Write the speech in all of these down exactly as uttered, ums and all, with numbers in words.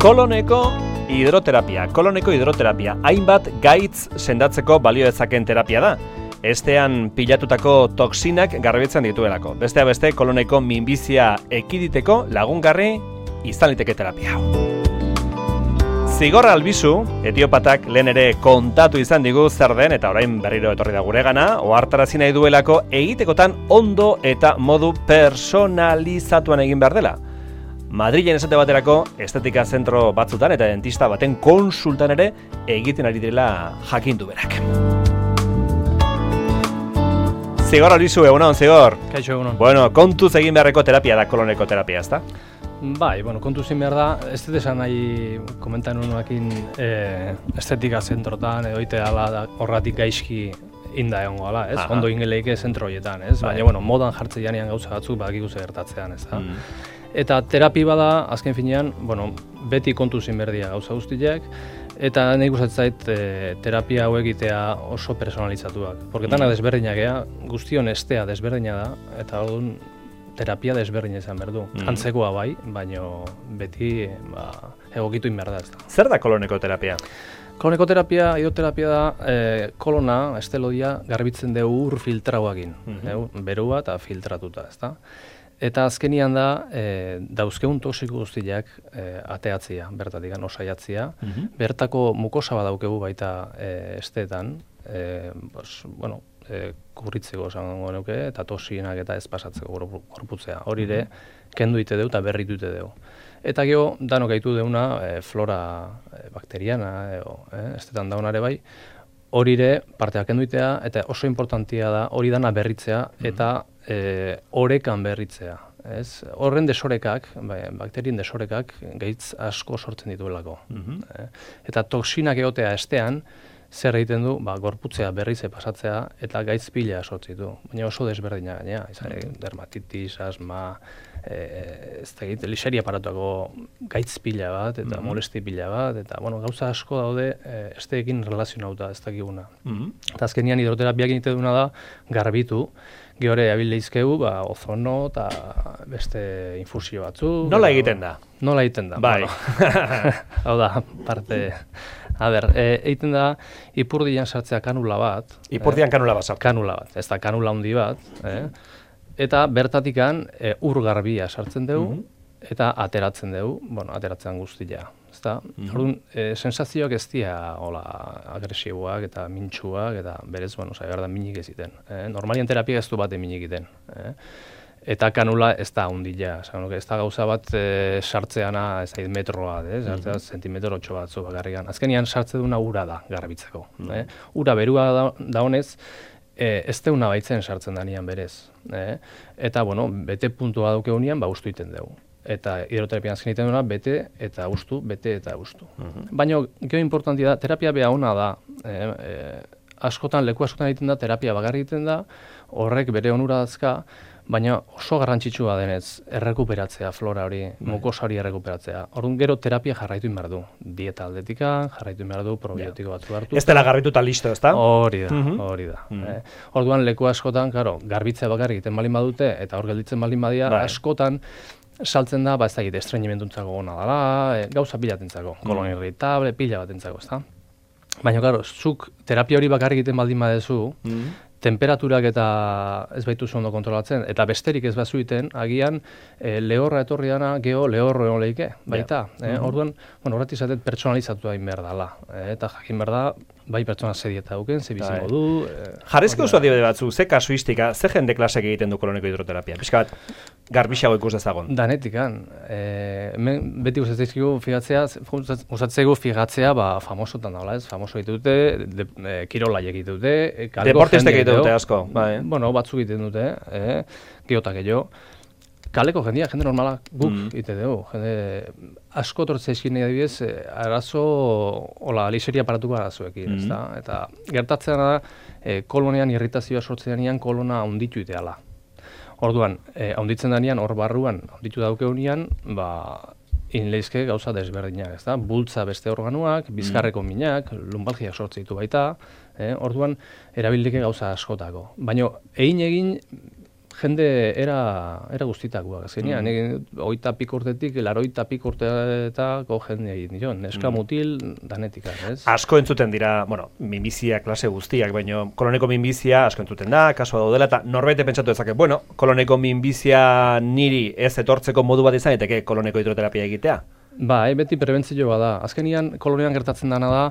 Koloneko hidroterapia. Koloneko hidroterapia. Hainbat gaitz sendatzeko balio dezaken terapia da. Estean pilatutako toksinak garbitzen dituelako. Bestea beste, koloneko minbizia ekiditeko lagungarri izan liteke terapia. Zigor Albizu, etiopatak lehen ere kontatu izan digu zer den eta orain berriro etorri da guregana, ohartarazi nahi duelako egitekotan ondo eta modu personalizatuan egin behar dela. Madrilen esate baterako estetika zentro batzutan eta dentista baten konsultan ere egiten ari direla jakindu berak. Zigor Albizu, egunon, Zigor. Kaixo, egunon. Bueno, kontuz egin beharreko terapia da koloneko terapia, ezta? Bai, bueno, kontu zin behar da, ez dut esan nahi komentan unuakin e, estetika zentrotan, edo ite ala horratik gaizki inda egongo ala, ez? Aha. Ondo ingeleike zentro horietan, ez? Bai. Baina, bueno, modan jartze janean gauza batzuk badakigu ze gertatzean, ez da? Mm. Eta terapi bada, azken finean, bueno, beti kontu zin berdia gauza guztiak, eta nahi gustatzen zait e, terapia hau egitea oso personalizatuak. Porque dana desberdinak ea, guztion estea desberdina da, eta orduan terapia desberdina izan behar du. Mm. Antzekoa bai, baino beti ba, egokitu in behar da ez da. Zer da koloneko terapia? Koloneko terapia, hidroterapia da, e, kolona, estelodia, garbitzen dugu ur filtrauakin. Mm-hmm. Berua eta filtratuta, ez da. Eta azkenian da, e, dauzkeun toxiko guztiak e, ateatzia, bertatik, osaiatzia. Mm-hmm. Bertako mukosa badaukegu baita e, esteetan, e, pues, bueno, e, kurritzeko esango nuke eta toxinak eta ez pasatzeko gorputzea. Hori ere, kendu ite deu eta berritu ite deu. Eta gero, danok gaitu deuna e, flora e, bakteriana, edo, e, estetan daunare bai, hori ere parteak kendu itea eta oso importantia da hori dana berritzea eta e, orekan berritzea. Ez? Horren desorekak, bai, bakterien desorekak gaitz asko sortzen dituelako. Mm-hmm. e, eta toksinak egotea estean, zer egiten du, ba, gorputzea berrize pasatzea eta gaitz pila sortzi du. Baina oso desberdina gaina, izan dermatitis, asma, e, ez da egiten, lixeri aparatuako gaitz pila bat eta mm-hmm. molesti pila bat, eta bueno, gauza asko daude e, esteekin relazionauta ez dakiguna. Mm-hmm. Eta azkenian hidroterapiak egiten duna da garbitu, gehore abildeizkegu, ba, ozono eta beste infusio batzu. Nola egiten da? Nola egiten da. Bai. Bueno, hau da, parte... A ber, e, egiten da, ipurdian sartzea kanula bat. Ipurdian kanula bat sartzea. Kanula bat, ez da kanula handi bat. Eh? Eta bertatikan e, ur garbia sartzen dugu, mm-hmm. eta ateratzen dugu, bueno, ateratzen guztia. Ezta? Mm-hmm. Orduan, e, sensazioak ez dira hola, agresiboak eta mintsuak, eta berez, bueno, zai behar da minik eziten. Eh? Normalian terapia ez du bat minik egiten. Eh? Eta kanula ez da hundila, ez da gauza bat e, sartzeana ez da metroa, eh? Sartzea mm-hmm. zentimetro otxo batzu bakarrikan. Azkenian sartze duna ura da garbitzeko. Mm-hmm. eh? Ura berua da, da honez, e, ez deuna baitzen sartzen danian berez. Eh? Eta, bueno, bete puntua dauke unian, ba, ustu iten dugu. Eta hidroterapian azken egiten duena, bete eta ustu, bete eta ustu. Mm-hmm. Baina, gero importantia da, terapia beha ona da, eh? E, askotan, leku askotan egiten da, terapia bakarri egiten da, horrek bere onura dazka, baina oso garrantzitsua denez errekuperatzea flora hori, mukosa hori errekuperatzea. Orduan gero terapia jarraitu behar du. Dieta aldetika, jarraitu behar du, probiotiko batzu hartu. Ez dela garbituta listo, ez da? Hori da, hori da. Mm-hmm. eh? Orduan leku askotan, karo, garbitzea bakarrik egiten balin badute, eta hor gelditzen balin badia, bai. Askotan saltzen da, ba ez da egite, estreñimentuntzako gona dela, e, gauza pilatentzako, mm. kolon irritable, pila batentzako, ez da? Baina, karo, zuk terapia hori bakarrik egiten baldin badezu, mm. temperaturak eta ez baituzu ondo kontrolatzen, eta besterik ez bazuiten, agian e, lehorra etorri dana, geho lehorro egon lehike, baita. Yeah. Eh? Mm-hmm. Orduan, bueno, horretik zaten pertsonalizatu hain behar dala. Eh? Eta jakin behar da, bai pertsona ze dieta duken, ze bizingo du. Eh, Jarrizko oso adibide batzu, ze kasuistika, ze jende klasek egiten du koloneko hidroterapia? Pixka bat, garbixago ikus dezagon. Danetikan. E, hemen beti gustatzeigu figatzea, gustatzeigu figatzea, ba, famosotan daula, ez? Famoso egiten dute, de, de, kirola egiten dute, deportistek egiten dute asko. Bai. Bueno, batzuk egiten dute, eh? Geotak gehiago. Kaleko jendia, jende normala guk mm. egiten dugu. Jende asko tortzeizkin adibidez, arazo, hola, lixeria aparatuko arazoekin, mm. ez da? Eta gertatzen da, e, kolonean irritazioa sortzen denean kolona handitu iteala. Orduan, e, handitzen denean, hor barruan, handitu daukeunean, ba, inleizke gauza desberdinak, ez da? Bultza beste organuak, bizkarreko minak, lumbalgiak sortzen ditu baita, eh? Orduan, erabilike gauza askotako. Baina, egin egin, jende era, era guztitakoak, azkenean, mm. oita pik urtetik, laroita pik urteetako jende egin dion, neska mm. mutil, danetik, ez? Asko entzuten dira, bueno, minbizia klase guztiak, baina koloneko minbizia asko entzuten da, kasua daudela, eta norbete pentsatu dezake, bueno, koloneko minbizia niri ez etortzeko modu bat izan, eteke koloneko hidroterapia egitea? Ba, e, beti prebentzioa da. Azkenian, kolonian gertatzen dana da,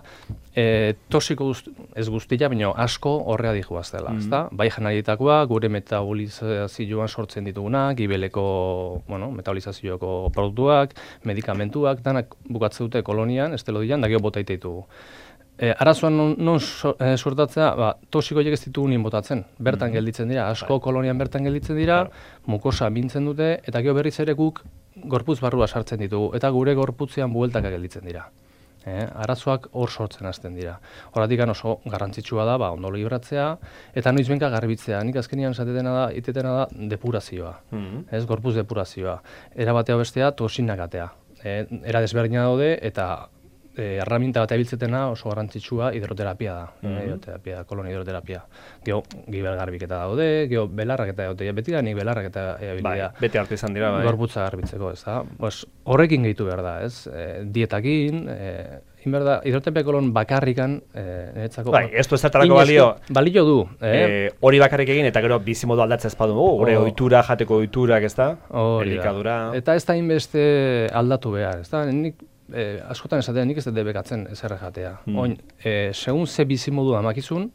e, toxiko guzti, ez guztia, baina asko horrea dihuaz dela. Mm. Ezta? Bai janarietakoa, gure metabolizazioan sortzen ditugunak, gibeleko, bueno, metabolizazioko produktuak, medikamentuak, danak bukatzen dute kolonian, estelodian, da geho botaite ditugu. E, arazoan non, non so, e, sortatzea, ba, toxikoiek ez ditugu nien botatzen. Bertan mm. gelditzen dira, asko bai. Kolonian bertan gelditzen dira, claro. Mukosa bintzen dute, eta geho berriz ere guk gorputz barrua sartzen ditugu, eta gure gorputzean bueltaka gelditzen dira. Eh, arazoak hor sortzen hasten dira. Horatik oso garrantzitsua da, ba, ondo libratzea, eta noizbenka garbitzea. Nik azkenian esatetena da, itetena da depurazioa. Mm-hmm. Ez, gorputz depurazioa. Era batea bestea, toxinak atea. Eh, era desberdina daude, eta E, erraminta bat abiltzetena oso garrantzitsua hidroterapia da, mm-hmm. hidroterapia, kolon hidroterapia. Geho, gibel garbiketa daude, geho belarrak eta daude, beti da nik belarrak eta abilidea. Bai, beti hartu izan dira, bai. Gorputza garbitzeko, ez da. Pues, horrekin gehitu behar da, ez? E, dietakin, e, inberda, hidroterapia kolon bakarrikan, e, niretzako... Bai, ez du ezertarako balio... Balio du, eh? E, hori bakarrik egin, eta gero bizimodu aldatzea ezpadu dugu, gure oh. ohitura, jateko ohiturak, ez da? Elikadura... Eta ez da inbeste aldatu behar, ez da? Nik Eh, askotan esatea nik ez dut debekatzen ezerre jatea. Mm. Oin, eh, segun ze bizimodu amakizun,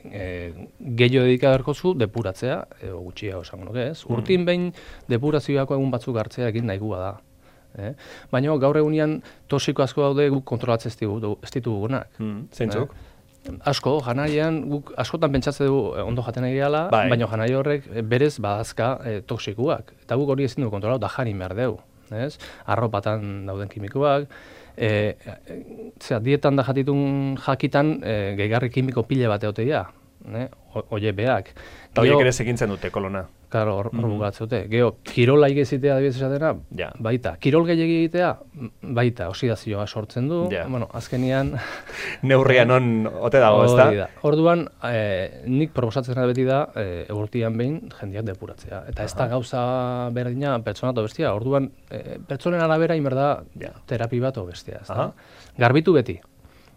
eh, gehiago dedikaberko depuratzea, edo gutxia osango nuke ez. Mm. Urtin behin depurazioako egun batzuk hartzea egin nahigua da. Eh? Baina gaur egunean toxiko asko daude guk kontrolatzen ez ditugunak. Mm. Zeintzuk? Eh? Asko, janarian, guk askotan pentsatzen dugu ondo jaten egiala, bai. Baina janari horrek berez badazka eh, toxikuak. Eta guk hori ezin dugu kontrolatu da jarin behar dugu. Ez? Arropatan dauden kimikoak, e, e, zera, dietan da jatitun jakitan e, gehigarri kimiko pile bat egotea, ne? Oie beak. Eta horiek ere segintzen dute kolona. Claro, hor mm. bukatzen dute. Gero, kirola egitea adibidez esatena, ja. Baita. Kirol gehiagi egitea, baita, oxidazioa sortzen du. Ja. Bueno, azkenian... Neurrian on ote dago, ez da? Orduan, e, nik proposatzen da beti da, e, urtean behin jendeak depuratzea. Eta ez da gauza berdina pertsona eta bestia. Orduan, e, pertsonen arabera inberda ja. Terapi bat o bestia. Ez da? Garbitu beti.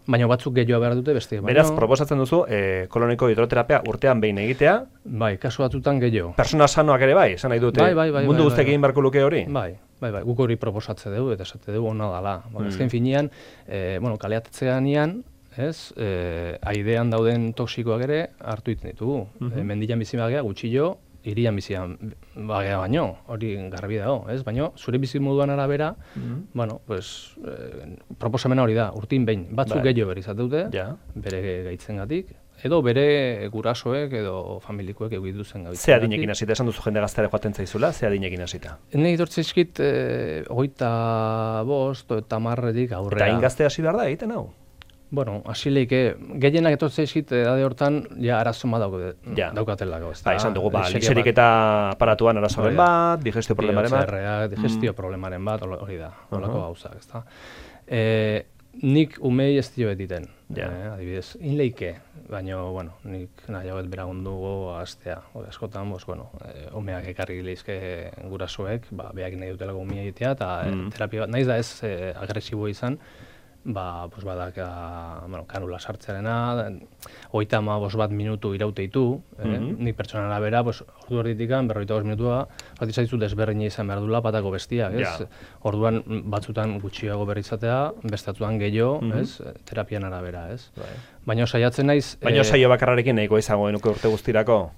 Baina batzuk gehiago behar dute beste. Beraz, baina... proposatzen duzu, eh, koloniko hidroterapia urtean behin egitea. Bai, kasu batutan gehiago. Persona sanoak ere bai, esan nahi dute. Bai, bai, bai, mundu bai, guztek egin bai, beharko luke hori? Bai, bai, bai, guk hori proposatze dugu, eta esate dugu ona dala. Mm. Ezken finean, eh, bueno, kaleatetzean ian, ez, eh, aidean dauden toksikoak ere hartu iten ditugu. Mm-hmm. eh, mendian bizi bagea, gutxillo, irian bizian bagea baino, hori garbi dago, ez? Baina zure bizimoduan arabera, mm-hmm. bueno, pues, eh, proposamena hori da, urtin behin, batzuk bai. Gehiago berizat dute, ja. Bere gaitzengatik, edo bere gurasoek edo familikoek egitu zen gaitzengatik. Ze adinekin hasita, esan duzu jende gaztare joaten zaizula, ze adinekin hasita? Ene idortzeizkit, eh, hogeita bost, eta marretik aurrera. Eta ingazte hasi behar da egiten hau? Bueno, asileike, gehienak etortzea izkit edade hortan, ja, arazo ma dauke, ja. Daukatelako. Ba, izan dugu, ba, lixerik eta aparatuan arazoaren bat, digestio problemaren bat. Digestio mm. problemaren bat, hori da, holako uh -huh. gauzak, ezta. E, nik umei ez dio betiten, ja. eh, adibidez, inleike, baina, bueno, nik nahi hauet beragundugu astea, hori askotan, bos, bueno, e, umeak ekarri leizke gurasoek, ba, behak nahi dutelako umea egitea, eta mm. terapia bat, nahiz da ez e, agresibo izan, ba, pues badak, bueno, kanula sartzearena, hogeita hamabost bat minutu irauteitu, eh? Mm-hmm. Nik pertsonaren arabera, pues, ordu erditikan, berrogeita bost minutua, bat izaizu desberdina izan behar duela patako bestiak, ez? Ja. Orduan batzutan gutxiago berrizatea, bestatuan gehiago, mm-hmm. ez? Terapian arabera, ez? Bai. Baina saiatzen naiz... Baina eh, saio bakarrarekin nahiko izango genuke urte guztirako?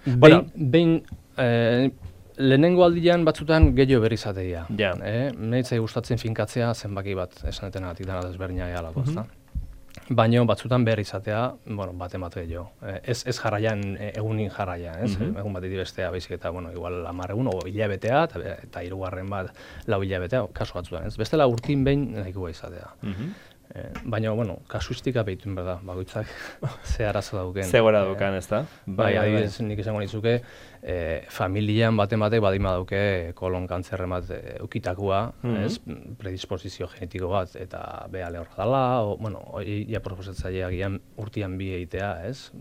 Behin, bueno. behin eh, lehenengo aldian batzutan gehiago berrizatea. Ja. Eh? Nahitzai gustatzen finkatzea zenbaki bat esanetenatik dena desberdina egalako, mm-hmm. ezta? Baina batzutan behar izatea, bueno, bat emate gehiago. Eh, ez, ez jarraian, egunin jarraian, ez? Mm-hmm. Egun bat bestea, baizik eta, bueno, igual hamar egun, o hilabetea, eta, eta hirugarren bat lau hilabetea, kasu batzutan, ez? Bestela urtin behin nahikoa izatea. Mm-hmm. Eh, baina, bueno, kasuistika behituen berda, bakoitzak ze arazo dauken. Ze gora dauken, ez da? Bai, adibidez, nik esango nizuke, eh, familian baten batek badima dauke kolon kantzerren bat eh, ukitakoa, mm-hmm. ez? Predisposizio genetiko bat, eta beha lehorra dela, o, bueno, hori ja proposatzaileak gian urtian bi egitea, ez?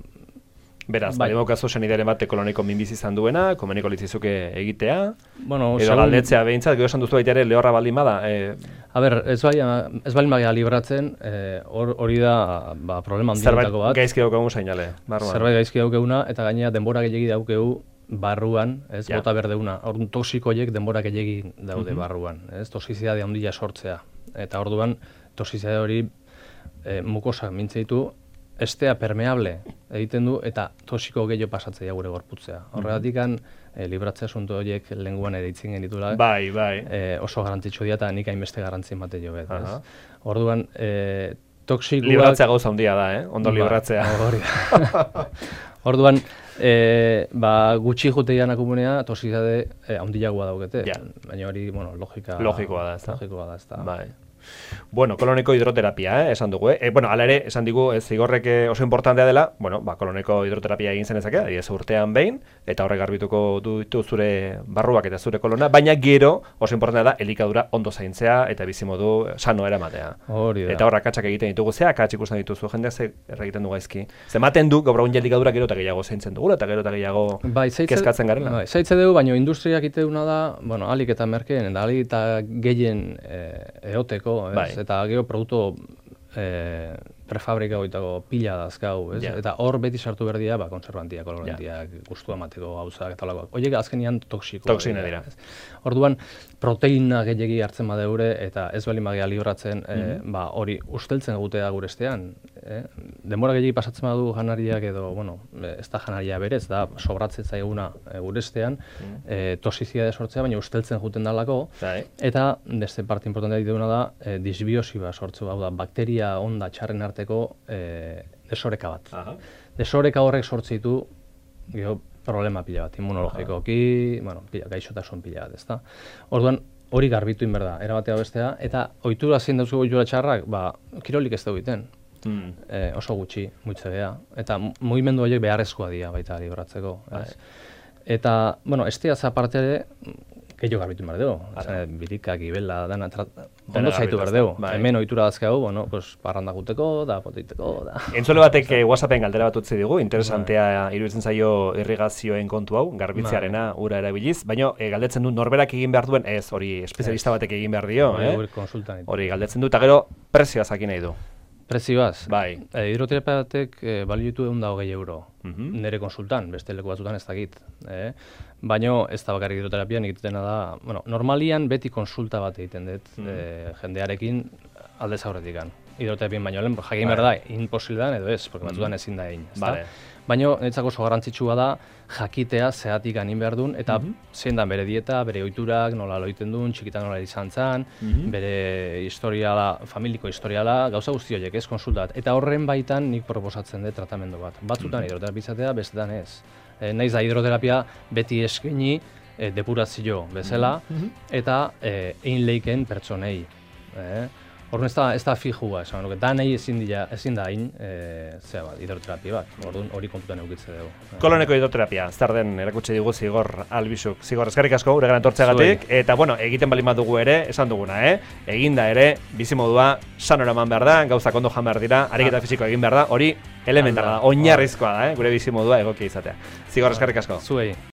Beraz, bai, badimokazu senideren bat koloniko minbizi izan duena, komeniko litzizuke egitea, bueno, edo segun... galdetzea behintzat, gero esan duzu baita ere lehorra baldin bada. E... A ber, ez, bai, ez baldin bagia libratzen, hori e, da ba, problema handietako bat. Zerbait gaizki daukegu zainale, barruan. Zerbait gaizki daukeguna, eta gainera denbora gehiagi daukegu barruan, ez, ja. Bota berdeuna. Orduan toxikoiek denbora gehiagi daude uh-huh. barruan, ez, toxizidade handia sortzea. Eta orduan, toxizidade hori e, mukosak mintze ditu, estea permeable egiten du eta toxiko gehiago pasatzea gure gorputzea. Horregatik kan e, libratzea asunto horiek lenguan ere itzin genitula. Bai, bai. E, oso garrantzitsu dira eta nik hainbeste garrantzi emate jo bet. Uh-huh. Orduan, e, toxikoak... Libratzea gauza handia da, eh? Ondo ba, libratzea. Hori da. Orduan, e, ba, gutxi juteian akumunea toxizade e, handiagoa daukete. Ja. Baina hori, bueno, logika... Logikoa da, ez da. Logikoa da, ez da. Bai. Bueno, koloneko hidroterapia, eh, esan dugu, eh? E, bueno, ala ere, esan digu, ez zigorrek oso importantea dela, bueno, ba, koloneko hidroterapia egin zenezake, adiez urtean behin, eta horrek garbituko ditu zure barruak eta zure kolona, baina gero, oso importantea da, elikadura ondo zaintzea, eta bizimodu sano eramatea. Hori da. Eta horrak atxak egiten ditugu, ze akatz ikusten dituzu, jendeak ze erregiten du gaizki. Ze maten du, gaur egun elikadura gero eta gehiago zaintzen dugula, eta gero eta gehiago bai, zaitze, kezkatzen garela. Bai, zaitze dugu, baina industriak iteuna da, bueno, alik eta merkeen, eta alik eta gehien e, eoteko, ez? Bai. Eta gero produktu e, prefabrika goitako pila dazkau, ez? Yeah. Eta hor beti sartu berdia, ba, konservantiak, kolorantiak, yeah. Gustua mateko gauzak eta lagoak. Horiek azkenian toksiko. Toksina dira. Orduan, proteina gehiagi hartzen badeure eta ez bali magia libratzen, mm-hmm. e, ba, hori usteltzen gutea gure estean. Eh? Denbora gehiagi pasatzen badu janariak edo, bueno, ez da janaria berez, da sobratzen zaiguna e, gure estean, mm-hmm. e, toxizidade sortzea, baina usteltzen juten dalako. Right. Eta, beste parte importantea dituguna da, e, disbiosi bat sortzu, hau da, bakteria onda txarren arteko e, desoreka bat. Aha. Desoreka horrek sortzitu, geho, problema pila bat, immunologikoki, bueno, pila, gaixotasun pila bat, ezta. Orduan, hori garbitu inberda, erabatea bestea, eta ohitura zein dauzko ohitura txarrak, ba, kirolik ez da egiten. Mm. E, oso gutxi, mutze geha. Eta mugimendu horiek beharrezkoa dira baita libratzeko. Ez? Eta, bueno, esteaz aparte ere, gehiago garbitu behar dugu. Birika, gibela, dana, ondo zaitu behar dugu. Hemen ohitura dazkau, bueno, pues, parranda guteko, da, potiteko, da. Entzule batek eh, WhatsAppen galdera bat utzi digu, interesantea iruditzen zaio irrigazioen kontu hau, garbitzearena ura erabiliz, baina eh, galdetzen du norberak egin behar duen, ez, hori espezialista batek egin behar dio, eh? Hori galdetzen du, eta gero prezioa zakin nahi du. Prezioaz? Bai. E, hidroterapia batek e, balio ditu ehun eta hogei euro. Mm-hmm. Nire konsultan, beste leku batzutan ez dakit. Eh? Baina ez da bakarrik hidroterapian egitena da, bueno, normalian beti konsulta bat egiten dut mm-hmm. e, jendearekin aldez aurretikan. Hidroterapian baino lehen, jakin behar da, imposible edo ez, porque batzutan mm-hmm. ezin da egin. Vale. Baina niretzako oso garrantzitsua da jakitea zehatik anin behar duen, eta mm-hmm. zein da bere dieta, bere ohiturak, nola loiten duen, txikitan nola izan zen, mm-hmm. bere historiala, familiko historiala, gauza guzti horiek ez konsultat. Eta horren baitan nik proposatzen dut tratamendu bat. Batzutan mm-hmm. hidroterapia izatea, bestetan ez. E, naiz da hidroterapia beti eskaini e, depurazio bezala, mm-hmm. eta e, egin leiken pertsonei. E, Orduan ez da, ez da fijua, esan nuke, da nahi ezin, dira, ezin da hain, e, zera bat, hidroterapia bat, orduan hori kontutan eukitze dugu. Koloneko hidroterapia, zer den erakutsi digu Zigor Albizuk. Zigor, eskerrik asko, gure gana tortzeagatik, eta bueno, egiten bali bat dugu ere, esan duguna, eh? Eginda ere, bizimodua sanora eman behar da, gauzak ondo jan behar dira, ariketa fisikoa egin behar da, hori elementala da, oinarrizkoa da, eh? Gure bizimodua egokia izatea. Zigor, eskerrik asko. Zuei.